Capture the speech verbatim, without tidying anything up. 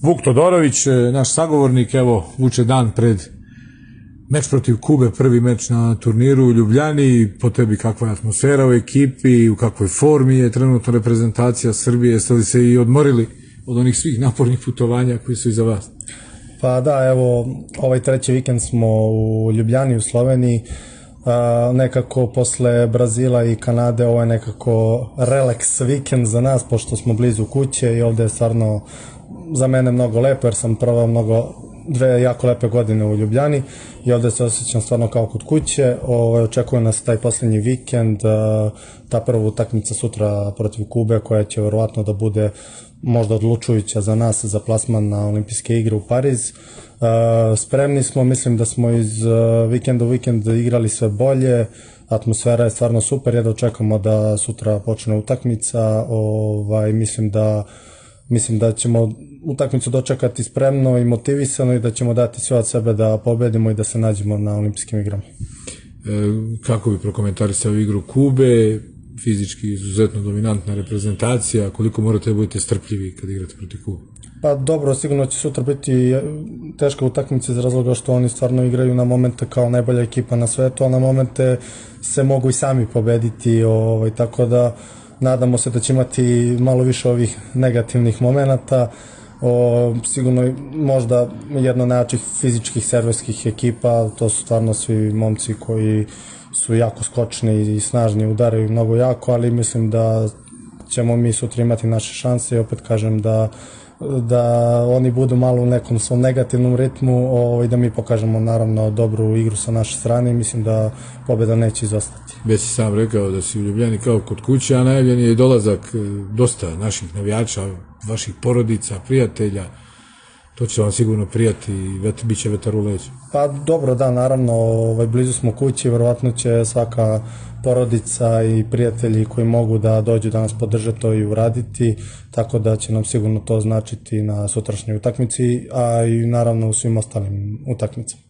Vuk Todorović, naš sagovornik, evo, vuče dan pred meč protiv Kube, prvi meč na turniru u Ljubljani. Po tebi kakva je atmosfera u ekipi, u kakvoj formi je trenutno reprezentacija Srbije, jeste li se i odmorili od onih svih napornih putovanja koji su iza vas? Pa da, evo, ovaj treći vikend smo u Ljubljani, u Sloveniji. Uh, nekako posle Brazila i Kanade ovo je nekako relax vikend za nas, pošto smo blizu kuće i ovde je stvarno za mene mnogo lepo, jer sam proveo mnogo, dve jako lepe godine u Ljubljani i ovde se osjećam stvarno kao kod kuće. Ovo, očekuje nas taj poslednji vikend, uh, ta prva utakmica sutra protiv Kube, koja će verovatno da bude možda odlučujuća za nas za plasman na olimpijske igre u Pariz. Uh, spremni smo, mislim da smo iz uh, vikenda u vikend igrali sve bolje, atmosfera je stvarno super, jedno očekamo da sutra počne utakmica. Ovaj, mislim da mislim da ćemo utakmicu dočekati spremno i motivisano i da ćemo dati sve od sebe da pobedimo i da se nađemo na olimpijskim igrama. E, kako bi prokomentarisao igru Kube? Fizički izuzetno dominantna reprezentacija, koliko morate da budete strpljivi kad igrate protiv Kube? Pa dobro, sigurno će sutra biti teška utakmica iz razloga što oni stvarno igraju na momente kao najbolja ekipa na svetu, a na momente se mogu i sami pobediti, ovaj, tako da nadamo se da će imati malo više ovih negativnih momenata. O, sigurno možda jedna najjačih fizičkih serverskih ekipa, to su stvarno svi momci koji su jako skočni i snažni, udaraju mnogo jako, ali mislim da ćemo mi sutra imati naše šanse i opet kažem da da oni budu malo u nekom svom negativnom ritmu i da mi pokažemo naravno dobru igru sa naše strane i mislim da pobjeda neće izostati. Već si sam rekao da si u Ljubljani kao kod kuće, a najavljen je i dolazak dosta naših navijača, vaših porodica, prijatelja. To će vam sigurno prijati i bit će vetar u leđu. Pa dobro, da, naravno, ovaj, blizu smo kući, verovatno će svaka porodica i prijatelji koji mogu da dođu da nas podrže to i uraditi, tako da će nam sigurno to značiti na sutrašnjoj utakmici, a i naravno u svim ostalim utakmicama.